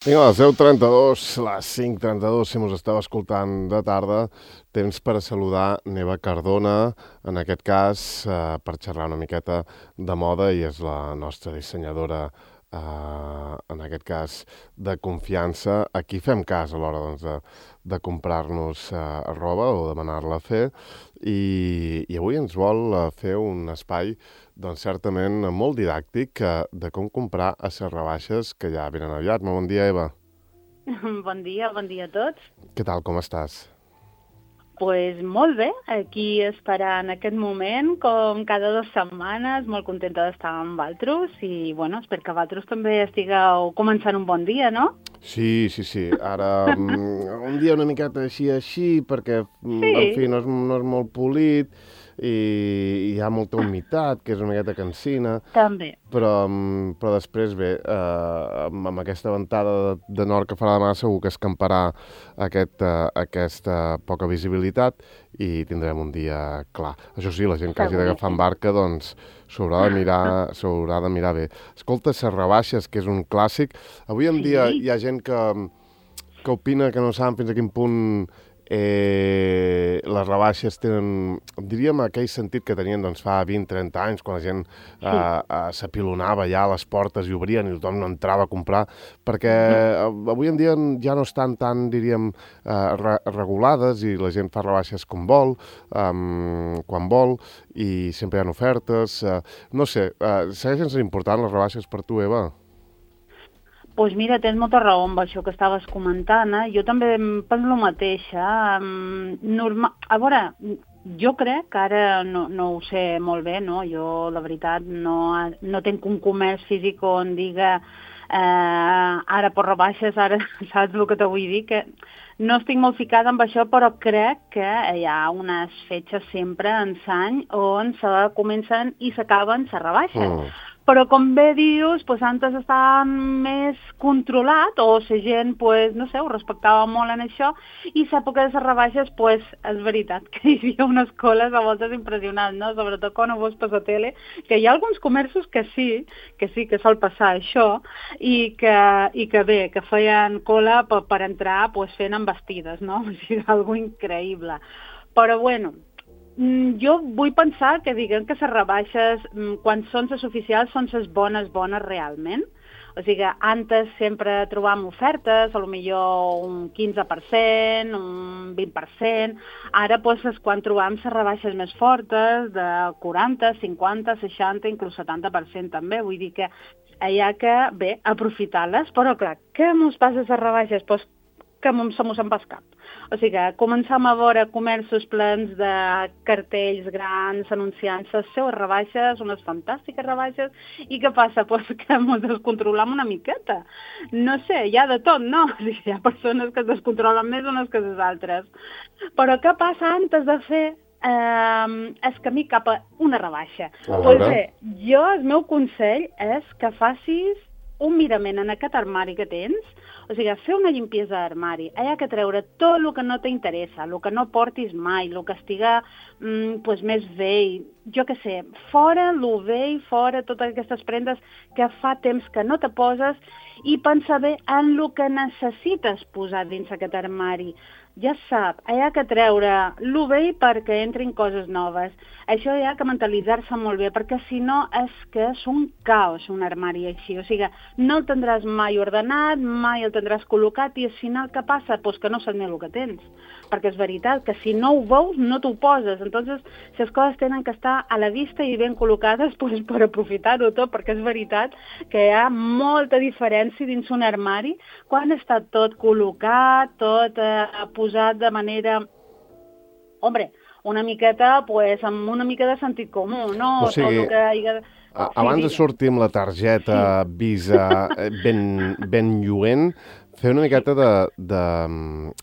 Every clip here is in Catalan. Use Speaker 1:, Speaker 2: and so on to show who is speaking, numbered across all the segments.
Speaker 1: Vinga, a les 10:32, les 5:32, si mos esteu escoltant de tarda, temps per a saludar Neva Cardona, en aquest cas, per xerrar una miqueta de moda, i és la nostra dissenyadora, en aquest cas, de confiança. Aquí fem cas a l'hora doncs, de comprar-nos roba o demanar-la a fer, i avui ens vol fer un espai doncs certament molt didàctic de com comprar a les rebaixes que ja venen aviat. Molt bon dia, Eva.
Speaker 2: Bon dia a tots.
Speaker 1: Què tal, com estàs?
Speaker 2: Pues molt bé, aquí esperant aquest moment, com cada 2 setmanes, molt contenta d'estar amb vosaltres i, bueno, espero que vosaltres també estigueu començant un bon dia, no?
Speaker 1: Sí, sí, sí. Ara, un dia una miqueta així, perquè, en fi,
Speaker 2: Sí,
Speaker 1: no és molt polit i hi ha molta humitat, que és una miqueta cansina,
Speaker 2: també.
Speaker 1: però després, bé, amb aquesta ventada de nord que farà demà, segur que escamparà aquesta poca visibilitat i tindrem un dia clar. Això sí, la gent que hagi d'agafar en
Speaker 2: Seguríssim.
Speaker 1: barca, doncs, s'haurà de mirar bé. Escolta, les rebaixes, que és un clàssic. Avui en dia
Speaker 2: Sí,
Speaker 1: hi ha gent que opina que no saben fins a quin punt les rebaixes tenen, diríem, aquell sentit que tenien doncs, fa 20-30 anys, quan la gent
Speaker 2: sí.
Speaker 1: s'apilonava ja a les portes i obrien i tothom no entrava a comprar, perquè avui en dia ja no estan tan, diríem, regulades i la gent fa rebaixes com vol, quan vol, i sempre hi ha ofertes. No sé, segueixen sent importants les rebaixes per tu, Eva?
Speaker 2: Pues mira, tens molta raó amb això que estaves comentant, eh? Jo també em penso el mateix, A veure, jo crec que ara no ho sé molt bé, no? Jo, la veritat, no tinc un comerç físic on diga ara per rebaixes, ara saps el que te vull dir? Que no estic molt ficada amb això, però crec que hi ha unes fetges sempre en l'any on se comencen i s'acaben les rebaixes.
Speaker 1: Mm.
Speaker 2: Però com bé dius, pues, antes estava més controlat, o la gent, pues, no sé, ho respectava molt en això, i l'època de les rebaixes, pues, és veritat que hi havia unes coles a voltes impressionants, no? Sobretot quan ho veus per la tele, que hi ha alguns comerços que sí que sol passar això, i que bé, que feien cola per entrar, pues, fent embestides, no? O sigui, algo increïble. Però, bueno, jo vull pensar que diguem que les rebaixes, quan són les oficials, són les bones realment. O sigui, antes sempre trobàvem ofertes, a lo millor un 15%, un 20%. Ara doncs, és quan trobam les rebaixes més fortes, de 40, 50, 60, inclús 70% també. Vull dir que hi ha que, bé, aprofitar-les, però clar, què mos passa a les rebaixes? Doncs que se mos en va el cap. O sigui, començam a veure comerços plens de cartells grans anunciant les seues rebaixes, unes fantàstiques rebaixes, i què passa? Pues que ens descontrolam una miqueta. No sé, hi ha de tot, no? O sigui, hi ha persones que es descontrolen més unes que les altres. Però què passa antes de fer el camí cap a una rebaixa?
Speaker 1: A
Speaker 2: Doncs
Speaker 1: veure.
Speaker 2: bé, el meu consell és que facis un mirament en aquest armari que tens, o sigui, fer una limpiesa d'armari. Hi ha que treure tot el que no t'interessa, el que no portis mai, el que estiga pues, més vell, jo què sé, fora el vell, fora totes aquestes prendes que fa temps que no te poses, i pensa bé en el que necessites posar dins aquest armari. Ja sap, hi ha que treure el vell perquè entrin coses noves. Això hi ha que mentalitzar-se molt bé, perquè si no és que és un caos un armari així. O sigui, no el tindràs mai ordenat, mai el tindràs col·locat, i al final què passa? Pues que no saps ni el que tens. Perquè és veritat que si no ho veus, no t'ho poses. Entonces, les coses tenen que estar a la vista i ben col·locades, pues, per aprofitar-ho tot, perquè és veritat que hi ha molta diferència dins un armari quan està tot col·locat, tot posat de manera, hombre, una miqueta, pues, amb una mica de sentit comú,
Speaker 1: O
Speaker 2: no? Tot
Speaker 1: sigui,
Speaker 2: el que hi ha... Sí,
Speaker 1: abans de
Speaker 2: digues.
Speaker 1: sortir amb la
Speaker 2: Sí.
Speaker 1: targeta Visa ben lluent, fer una
Speaker 2: Sí,
Speaker 1: miqueta de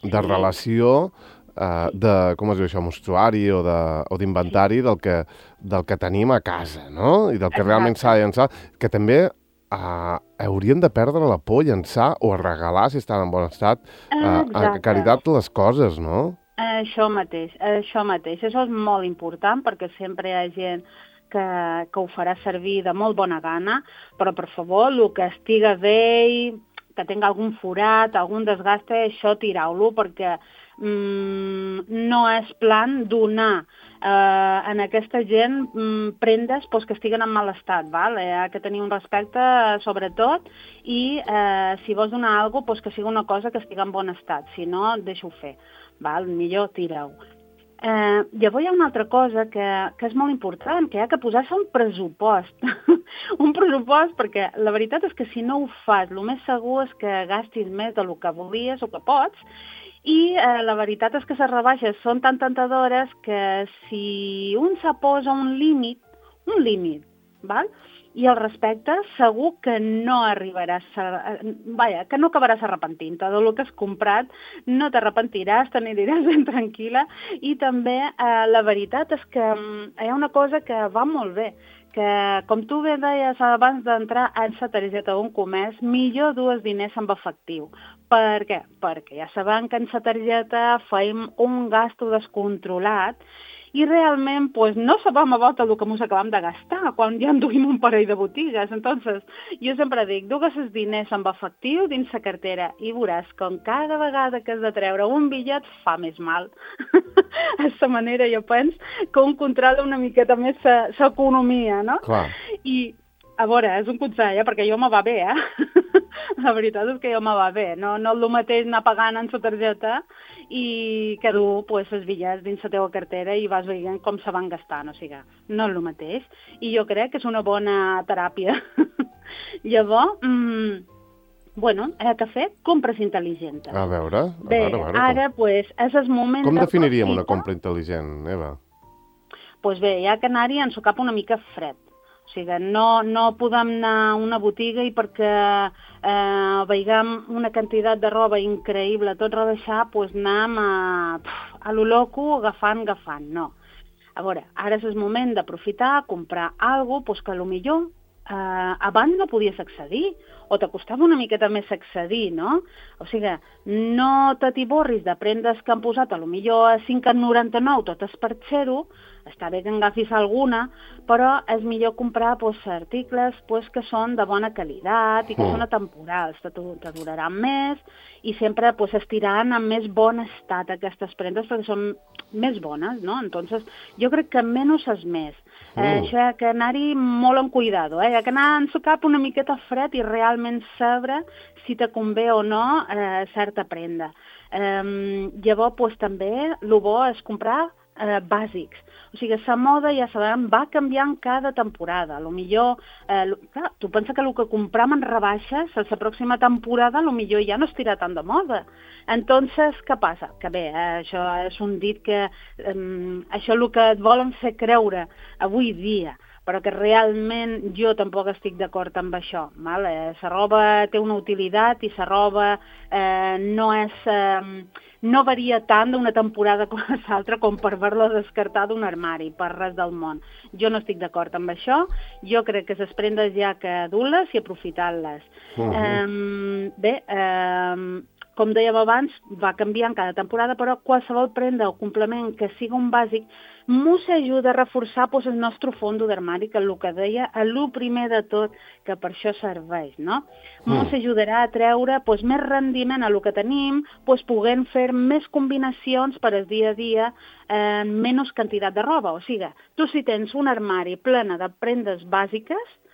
Speaker 2: sí,
Speaker 1: relació,
Speaker 2: sí.
Speaker 1: de, com es diu això, mostruari o
Speaker 2: Sí,
Speaker 1: d'inventari del que tenim a casa, no? I del que realment
Speaker 2: exacte.
Speaker 1: s'ha de llançar, que també haurien de perdre la por a llançar o a regalar, si estan en bon estat, a
Speaker 2: Exacte.
Speaker 1: caritat les coses, no?
Speaker 2: Això mateix, això mateix. Això és molt important perquè sempre hi ha gent que ho farà servir de molt bona gana, però per favor, el que estiga vell, que tingui algun forat, algun desgaste, això tireu-lo, perquè no és plan donar en aquesta gent prendes que estiguen en mal estat, val? Hi ha que tenir un respecte sobretot i si vols donar alguna cosa, que sigui una cosa que estigui en bon estat, si no, deixa-ho fer, val? Millor tireu. Llavors hi ha una altra cosa que és molt important, que hi ha que posar-se un pressupost. Un pressupost perquè la veritat és que si no ho fas, el més segur és que gastis més del que volies o que pots, i la veritat és que les rebaixes són tan tentadores que si un se posa un límit, val? I el respecte, segur que no arribaràs, que no acabaràs arrepentint-te del que has comprat, no t'arrepentiràs, te n'aniràs ben tranquil·la, i també la veritat és que hi ha una cosa que va molt bé, que com tu bé deies abans d'entrar en la targeta d'un comerç, millor dues diners en efectiu. Per què? Perquè ja sabem que en la targeta fem un gasto descontrolat i realment no sabem a volta el que ens acabem de gastar quan ja enduim un parell de botigues. Entonces, jo sempre dic, dugues els diners en efectiu dins la cartera i veuràs com cada vegada que has de treure un bitllet fa més mal. D'aquesta manera jo penso que un controla una miqueta més l'economia, no?
Speaker 1: Clar.
Speaker 2: I, a veure, és un consell, perquè jo me va bé, La veritat és que jo me va bé. No és el mateix anar pagant en la targeta i que dur els bitllets dins la teva cartera i vas veient com se van gastant. O sigui, no és el mateix. I jo crec que és una bona teràpia. Llavors, que fer compres intel·ligents.
Speaker 1: A veure.
Speaker 2: Bé, ara, és el moment...
Speaker 1: Com definiríem una compra intel·ligent, Eva?
Speaker 2: Doncs bé, hi ha que anar-hi en cap una mica fred. O sigui, no podem anar a una botiga i perquè veiem una quantitat de roba increïble, tot rebaixar, anem a lo loco agafant, no. A veure, ara és el moment d'aprofitar, comprar alguna cosa que potser abans no podies accedir, o t'acostava una miqueta més accedir, no? O sigui, no t'atiborris de prendes que han posat potser a 5,99, totes per 0, està bé que en agafis alguna, però és millor comprar articles que són de bona qualitat i que són atemporals, te duraran més i sempre estiraran en més bon estat aquestes prendes perquè són més bones, no? Entonces, jo crec que menys és més. Això hi ha que anar-hi molt amb cuidado, hi ha que anar en su cap una miqueta fred i realment saber si te convé o no certa prenda. Llavors, també, el bo és comprar bàsics. O sigui, la moda, ja sabem, va canviant cada temporada. Clar, tu pensa que el que compram en rebaixes a la pròxima temporada potser ja no estirà tant de moda. Entonces, què passa? Que bé, això és un dit que això és el que et volen fer creure avui dia, però que realment jo tampoc estic d'acord amb això. La roba té una utilitat i la roba no varia tant d'una temporada com a l'altra com per haver-la descartar d'un armari, per res del món. Jo no estic d'acord amb això, jo crec que les prendes hi ha que dur-les i aprofitar-les. Bé, com dèiem abans, va canviant cada temporada, però qualsevol prenda o complement que sigui un bàsic ens ajuda a reforçar el nostre fons d'armari, que és el que deia, el primer de tot, que per això serveix, no? Ens ajudarà a treure més rendiment a el que tenim, podent fer més combinacions per al dia a dia en menys quantitat de roba. O sigui, tu si tens un armari plena de prendes bàsiques,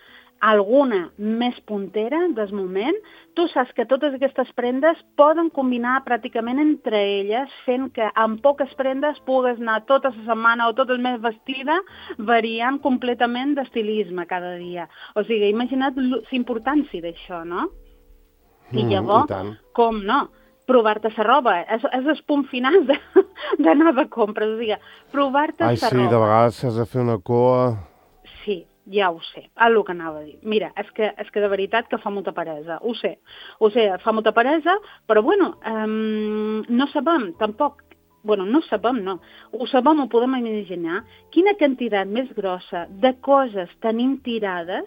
Speaker 2: alguna més puntera del moment, tu saps que totes aquestes prendes poden combinar pràcticament entre elles, fent que amb poques prendes pugues anar tota la setmana o tot el mes vestida, variant completament d'estilisme cada dia. O sigui, imagina't l'importància d'això, no? I llavors, com no? Provar-te la roba. És el punt final d'anar de compres. O sigui, provar-te la roba.
Speaker 1: Ai, sí, de vegades has de fer una cua...
Speaker 2: Sí. Ja ho sé, el que anava a dir. Mira, és que de veritat que fa molta peresa, ho sé, fa molta peresa, però no sabem tampoc, no sabem, no, ho sabem, ho podem imaginar, quina quantitat més grossa de coses tenim tirades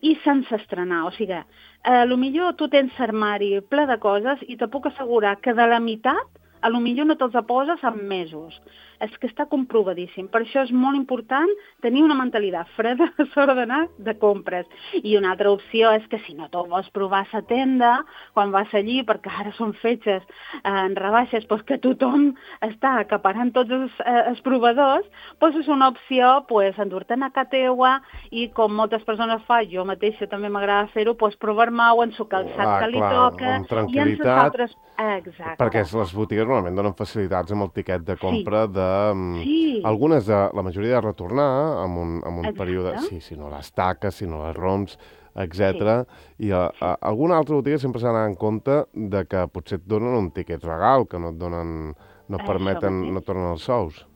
Speaker 2: i sense estrenar. O sigui, potser tu tens l'armari ple de coses i te puc assegurar que de la meitat a lo millor no te'ls poses en mesos. És que està comprovadíssim. Per això és molt important tenir una mentalitat freda a l'hora d'anar de compres. I una altra opció és que si no te'l vols provar a la tenda, quan vas allí, perquè ara són fetges en rebaixes, doncs que tothom està acaparant tots els provadors, doncs és una opció endur-te'n a casa teua i com moltes persones fan, jo mateixa també m'agrada fer-ho, provar-me-ho en el calçat que li toca
Speaker 1: amb tranquil·litat,
Speaker 2: i en les altres... Exacte.
Speaker 1: Perquè les botigues normalment donen facilitats amb el tiquet de compra
Speaker 2: Sí.
Speaker 1: algunes, la majoria de retornar amb un període...
Speaker 2: Exacte.
Speaker 1: Si no les taques, si no les roms, etc. I alguna altra botiga sempre s'ha d'anar en compte de que potser et donen un tiquet regal, que no et donen, no et permeten, no et tornen els sous.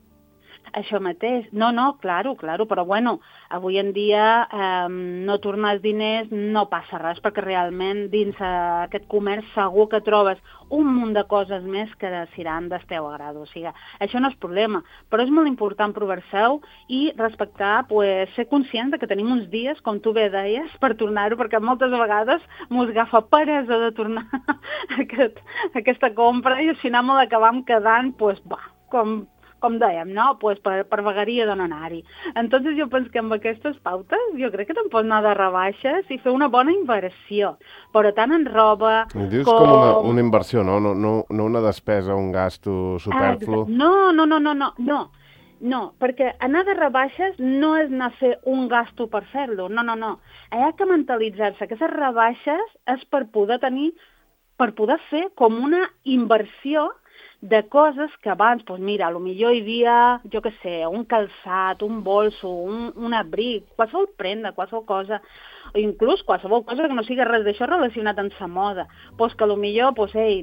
Speaker 2: Això mateix. No, claro, però bueno, avui en dia no tornar els diners no passa res, perquè realment dins aquest comerç segur que trobes un munt de coses més que seran del teu agrad. O sigui, això no és problema, però és molt important provar-se-ho i respectar, ser conscients de que tenim uns dies, com tu bé deies, per tornar-ho, perquè moltes vegades mos agafa peresa de tornar aquesta compra i al final m'ho acabam quedant, com dèiem, no? Per vegueria de no anar-hi. Entonces jo penso que amb aquestes pautes jo crec que te'n pots anar de rebaixes i fer una bona inversió, però tant en roba
Speaker 1: com... Dius com una inversió, no? No una despesa, un gasto superflu.
Speaker 2: No, perquè anar de rebaixes no és anar a fer un gasto per fer-lo, no. Hi ha que mentalitzar-se que aquestes rebaixes és per poder fer com una inversió de coses que abans, mira, potser hi havia, jo què sé, un calçat, un bolso, un abric, qualsevol prenda, qualsevol cosa, o inclús qualsevol cosa que no sigui res d'això relacionat amb la moda, que potser,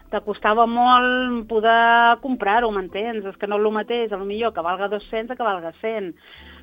Speaker 2: t'acostava molt poder comprar-ho, m'entens? És que no és el mateix, potser que valga 200 que valga 100,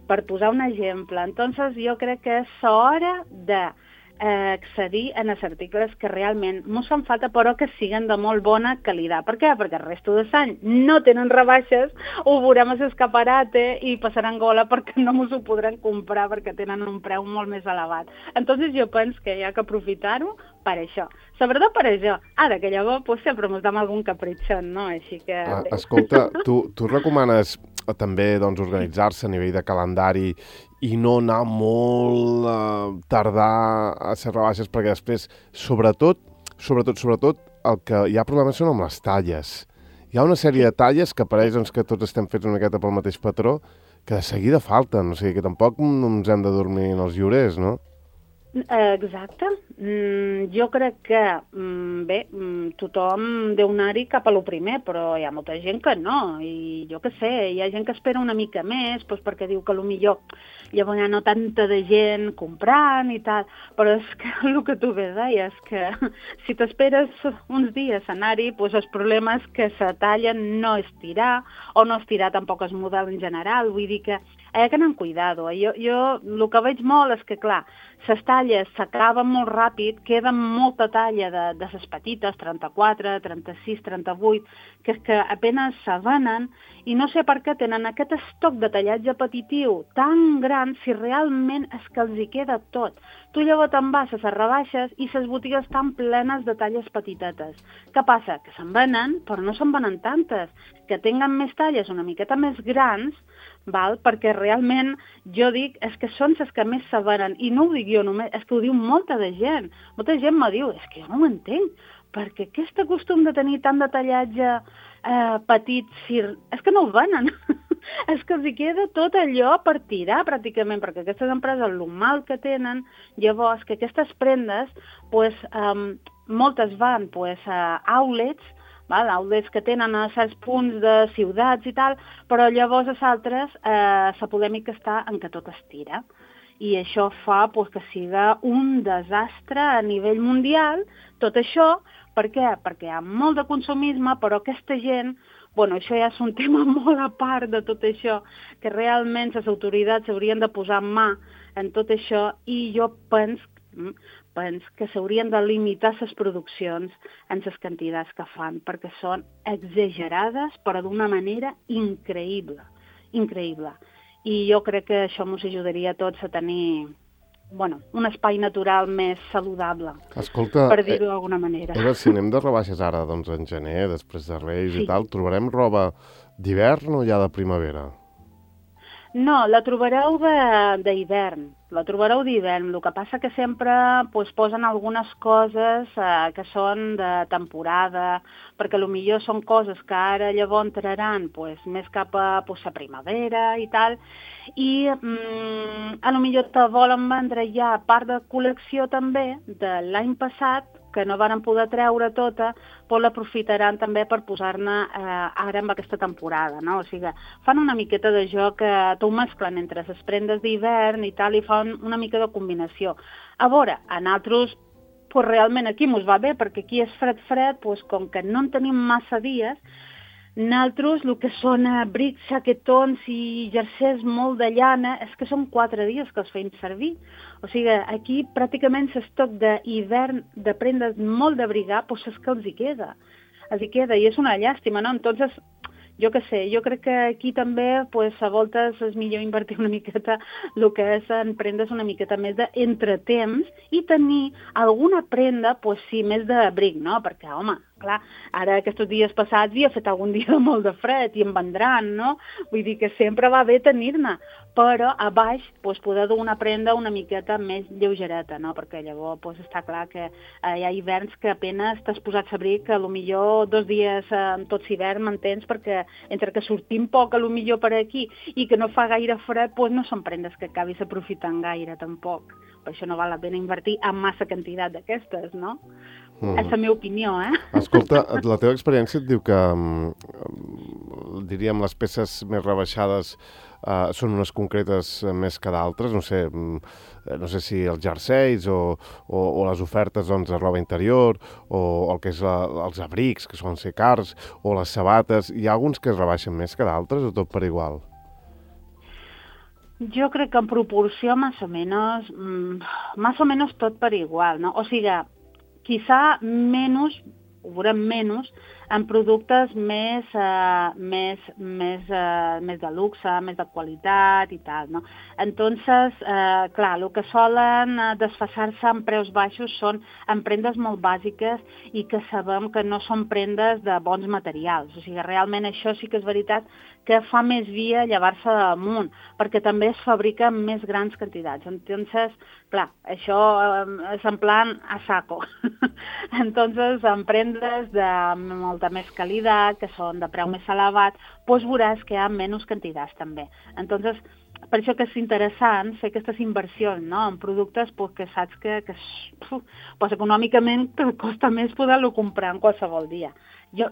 Speaker 2: per posar un exemple. Entonces jo crec que és hora de accedir en els articles que realment mos fan falta però que siguen de molt bona qualitat. Per què? Perquè el resto de l'any no tenen rebaixes, ho veurem a l'escaparate i passaran gola perquè no mos ho podran comprar perquè tenen un preu molt més elevat. Entonces jo penso que hi ha que aprofitar-ho per això. Sobretot per això. Ara que llavors sempre mos dam algun capritxon, no? Així que...
Speaker 1: Escolta, tu recomanes també organitzar-se a nivell de calendari i no anar molt tardar a ser rebaixes, perquè després, sobretot, el que hi ha problemes són amb les talles. Hi ha una sèrie de talles que pareix que tots estem fets una miqueta pel mateix patró, que de seguida falten, o sigui que tampoc ens hem de dormir en els llorers, no?
Speaker 2: Exacte. Jo crec que, tothom deu anar-hi cap a lo primer, però hi ha molta gent que no, i jo què sé, hi ha gent que espera una mica més, perquè diu que potser llavors hi ha no tanta de gent comprant i tal, però és que el que tu bé deies, que si t'esperes uns dies a anar-hi, el problema és que la talla no es tira, o no es tira tampoc el model en general, vull dir que hi ha que anar amb cuidado. Jo el que veig molt és que, clar, les talles s'acaben molt ràpid, queda molta talla de les petites, 34, 36, 38, que és que apenas se venen i no sé per què tenen aquest estoc de tallatge petitiu tan gran si realment és que els hi queda tot. Tu llavors te'n vas a les rebaixes i les botigues estan plenes de talles petitetes. Què passa? Que se'n venen, però no se'n venen tantes. Que tinguen més talles una miqueta més grans, perquè realment jo dic, és que són les que més se venen, i no ho dic jo només, és que ho diu molta de gent. Molta gent me diu, és que jo no ho entenc, perquè aquest costum de tenir tant de tallatge petit, és que no ho venen. És que els hi queda tot allò per tirar pràcticament, perquè aquestes empreses, el mal que tenen, llavors que aquestes prendes, moltes van a outlets, outlets que tenen a certs punts de ciutats i tal, però llavors a altres la polèmica està en que tot es tira. I això fa que siga un desastre a nivell mundial, tot això. Per què? Perquè hi ha molt de consumisme, però aquesta gent, això ja és un tema molt a part de tot això, que realment les autoritats haurien de posar mà en tot això, i jo penso que s'haurien de limitar les produccions en les quantitats que fan, perquè són exagerades, però d'una manera increïble. I jo crec que això ens ajudaria a tots a tenir un espai natural més saludable,
Speaker 1: Escolta,
Speaker 2: per dir-ho d'alguna manera.
Speaker 1: Eva, si anem de rebaixes ara, doncs en gener, després de Reis i tal, trobarem roba d'hivern o ja de primavera?
Speaker 2: No, la trobareu d'hivern, la trobareu d'hivern. El que passa que sempre posen algunes coses que són de temporada, perquè potser són coses que ara llavors entraran més cap a la primavera i tal, i potser te volen vendre ja part de col·lecció també de l'any passat, que no varen poder treure tota, però l'aprofitaran també per posar-ne ara en aquesta temporada, no? O sigui, fan una miqueta de joc, t'ho mesclen entre les prendes d'hivern i tal, i fan una mica de combinació. A veure, a nosaltres, realment aquí mos va bé, perquè aquí és fred, com que no en tenim massa dies, nosaltres, el que són abrics, jaquetons i jersers molt de llana, és que són 4 dies que els feim servir. O sigui, aquí pràcticament l'estoc d'hivern de prendes molt d'abrigar, és que els hi queda. I és una llàstima, no? Entonces, jo què sé, jo crec que aquí també a voltes és millor invertir una miqueta el que és en prendes una miqueta més d'entretemps i tenir alguna prenda, sí, més d'abric, no? Perquè, home, clar, ara aquests dies passats hi ha fet algun dia de molt de fred i en vendran, no? Vull dir que sempre va bé tenir-ne, però a baix poder dur una prenda una miqueta més lleugereta, no? Perquè llavors està clar que hi ha hiverns que apenas t'has posat abric, que potser 2 dies en tots hivern, m'entens? Perquè entre que sortim poc potser per aquí i que no fa gaire fred, no són prendes que acabis aprofitant gaire tampoc. Per això no val la pena invertir en massa quantitat d'aquestes, no? És la meva opinió,
Speaker 1: Escolta, la teva experiència et diu que, diríem, les peces més rebaixades són unes concretes més que d'altres, no sé si els jerseis o les ofertes de roba interior o el que és els abrics, que solen ser cars, o les sabates. Hi ha alguns que es rebaixen més que d'altres o tot per igual?
Speaker 2: Jo crec que en proporció más o menos tot per igual, no? O sigui, quizá menos, ho veurem menys, en productes més de luxe, més de qualitat i tal, no? Entonces, clar, el que solen desfasar-se en preus baixos són en prendes molt bàsiques i que sabem que no són prendes de bons materials. O sigui, realment això sí que és veritat que fa més via llevar-se damunt, perquè també es fabrica en més grans quantitats. Entonces, clar, això és en plan a saco. Entonces, en prendes de molta més qualitat, que són de preu més elevat, veuràs que hi ha menys quantitats també. Entonces, per això que és interessant fer aquestes inversions, no? En productes que saps que econòmicament costa més poder-lo comprar en qualsevol dia. Jo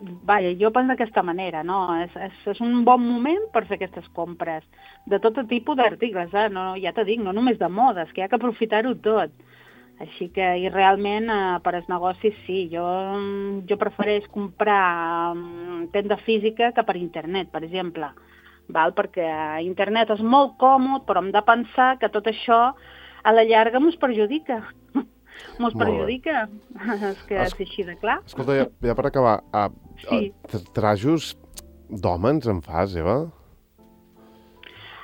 Speaker 2: penso d'aquesta manera, no? És un bon moment per fer aquestes compres de tot tipus d'articles, no, ja t'ho dic, no només de modes, que hi ha que aprofitar-ho tot. Així que, i realment, per als negocis, sí, jo prefereix comprar tenda física que per internet, per exemple, perquè internet és molt còmode, però hem de pensar que tot això a la llarga mos perjudica. Mos perjudica, és que és així de clar.
Speaker 1: Escolta, ja per acabar,
Speaker 2: sí.
Speaker 1: Trajos d'home ens en fas, Eva?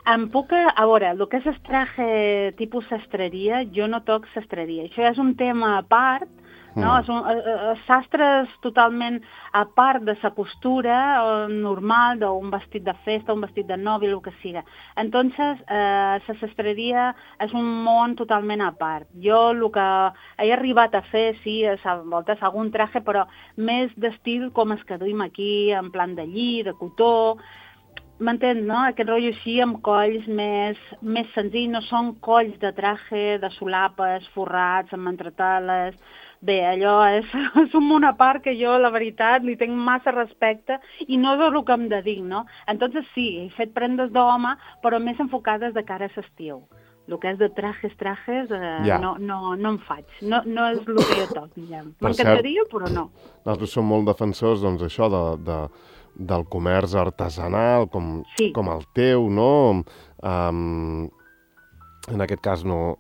Speaker 2: A veure, el que és el traje tipus sastreria, jo no toc sastreria. Això és un tema a part, no? Sastre és totalment a part de la postura normal d'un vestit de festa, un vestit de nòvia, el que siga. Entonces, la sastreria és un món totalment a part. Jo el que he arribat a fer, sí, a voltes algun traje, però més d'estil com els que duim aquí, en plan de lli, de cotó. M'entens, no? Aquest rotllo així amb colls més senzills, no són colls de traje, de solapes, forrats, amb entretales. Bé, allò és un món a part que jo, la veritat, li tinc massa respecte i no és el que em dedic, no? Entonces sí, he fet prendes d'home, però més enfocades de cara a l'estiu. El que és de trajes, no em faig. No és el que jo toc, diguem. M'encantaria, però no.
Speaker 1: Nosaltres som molt defensors, doncs, això del comerç artesanal, com el teu, no? En aquest cas no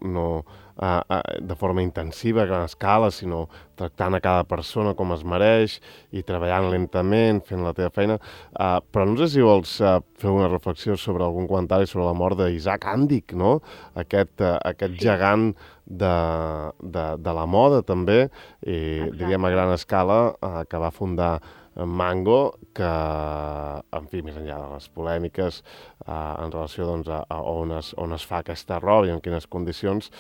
Speaker 1: de forma intensiva, a gran escala, sinó tractant a cada persona com es mereix i treballant lentament, fent la teva feina. Però no sé si vols fer una reflexió sobre algun comentari sobre la mort d'Isaac Andic, no? Aquest gegant de la moda, també, i diríem a gran escala, que va fundar Mango, que, en fi, més enllà de les polèmiques en relació doncs, a on es fa aquesta roba i en quines condicions,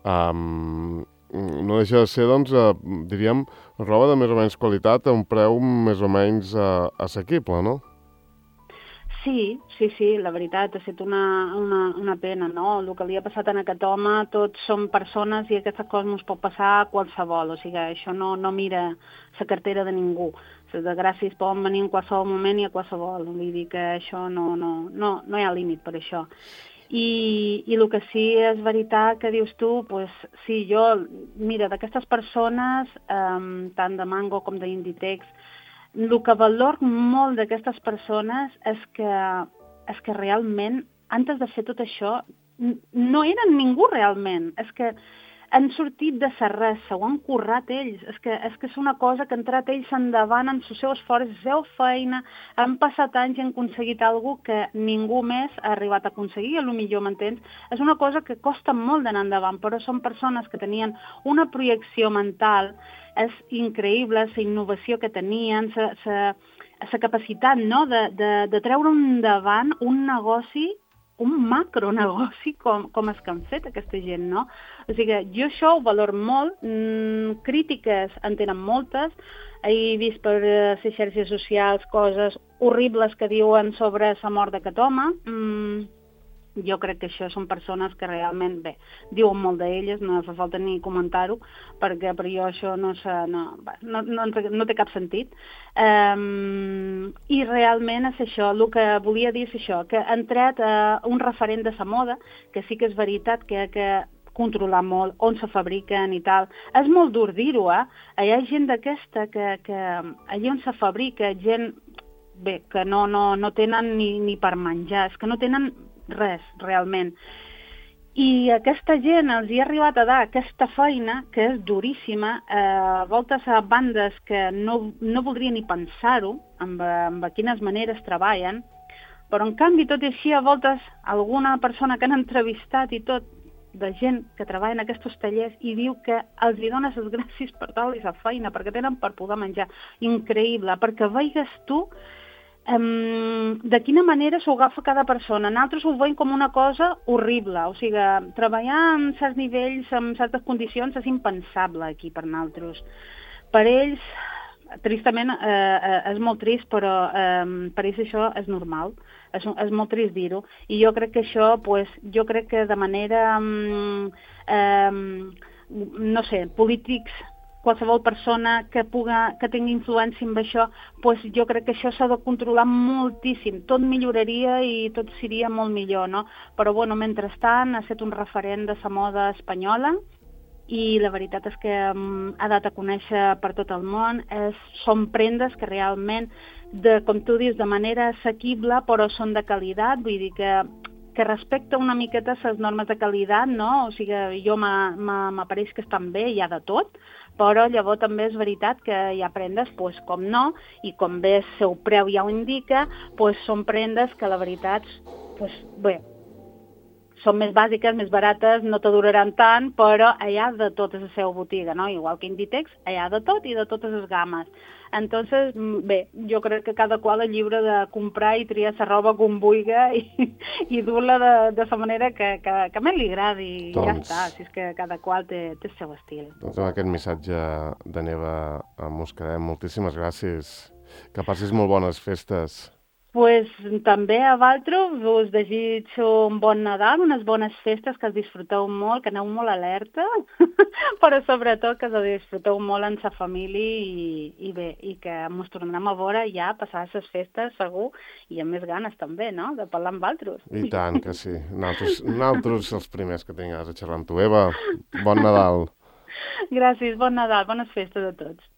Speaker 1: no deixa de ser, doncs, diríem, roba de més o menys qualitat a un preu més o menys assequible, no?
Speaker 2: Sí, la veritat, ha estat una pena, no? El que li ha passat a aquest home, tots som persones i aquestes coses no es pot passar a qualsevol, o sigui, això no mira la cartera de ningú. Les desgràcies poden venir en qualsevol moment i a qualsevol, vull dir que això no hi ha límit per això. I el que sí és veritat que dius tu, pues, sí, mira, d'aquestes persones, tant de Mango com d'Inditex, el que valor molt d'aquestes persones és que realment, antes de fer tot això, no eren ningú realment. És que han sortit de res, s'ho han currat ells. És que és una cosa que han entrat ells endavant en el seu esforç, la seva feina, han passat anys i han aconseguit alguna que ningú més ha arribat a aconseguir, a lo millor, m'entens? És una cosa que costa molt d'anar endavant, però són persones que tenien una projecció mental, és increïble la innovació que tenien, la capacitat, no?, de treure endavant un negoci, un macronegoci com és que han fet aquesta gent, no? O sigui, jo això ho valoro molt, crítiques en tenen moltes, he vist per les xarxes socials coses horribles que diuen sobre la mort d'aquest home. Jo crec que això són persones que realment, bé, diuen molt d'elles, no fa falta ni comentar-ho, perquè per jo això no té cap sentit. I realment és això, el que volia dir és això, que han tret un referent de la moda, que sí que és veritat que controlar molt on se fabriquen i tal. És molt dur dir-ho, Hi ha gent d'aquesta que allà on se fabrica, gent, bé, que no tenen ni per menjar, és que no tenen res, realment. I aquesta gent els hi ha arribat a dar aquesta feina, que és duríssima, a voltes a bandes que no voldria ni pensar-ho, amb quines maneres treballen, però en canvi, tot i així, a voltes alguna persona que han entrevistat i tot, de gent que treballa en aquests tallers i diu que els hi dones les gràcies per tal i la feina, perquè tenen per poder menjar. Increïble, perquè veigues tu de quina manera s'ho agafa cada persona. Nosaltres ho veiem com una cosa horrible, o sigui, treballar en certs nivells, en certes condicions, és impensable aquí per nosaltres. Per ells, tristament, és molt trist, però per ells això és normal, és molt trist dir-ho, i jo crec que això, jo crec que de manera, no sé, polítics, qualsevol persona que tingui influència amb això, jo crec que això s'ha de controlar moltíssim. Tot milloraria i tot seria molt millor, no? Però, bueno, mentrestant, ha estat un referent de la moda espanyola i la veritat és que ha dat a conèixer per tot el món. Són prendes que realment, com tu dius, de manera assequible, però són de qualitat, vull dir que respecta una miqueta les normes de qualitat, no? O sigui, jo m'apareix que estan bé, hi ha de tot, però llavors també és veritat que hi ha prendes, com no, i com bé el seu preu ja ho indica, són prendes que la veritat, bé, són més bàsiques, més barates, no te duraran tant, però hi ha de tot a la seva botiga, no? Igual que Inditex, hi ha de tot i de totes les games. Entonces, bé, jo crec que cada qual és lliure de comprar i triar la roba com vulgui i dur-la de la manera que més li agradi i ja està, si és que cada qual té el seu estil.
Speaker 1: Doncs amb aquest missatge de Neva mos quedem. Moltíssimes gràcies. Que passis molt bones festes.
Speaker 2: També a vosaltres us desitjo un bon Nadal, unes bones festes, que els disfruteu molt, que aneu molt alerta, però sobretot que els disfruteu molt en sa família i bé, i que ens tornem a veure ja passar les festes, segur, i amb més ganes també, no?, de parlar amb vosaltres.
Speaker 1: I tant que sí. Nosaltres els primers que tingues a xerrar amb tu. Eva, bon Nadal.
Speaker 2: Gràcies, bon Nadal, bones festes a tots.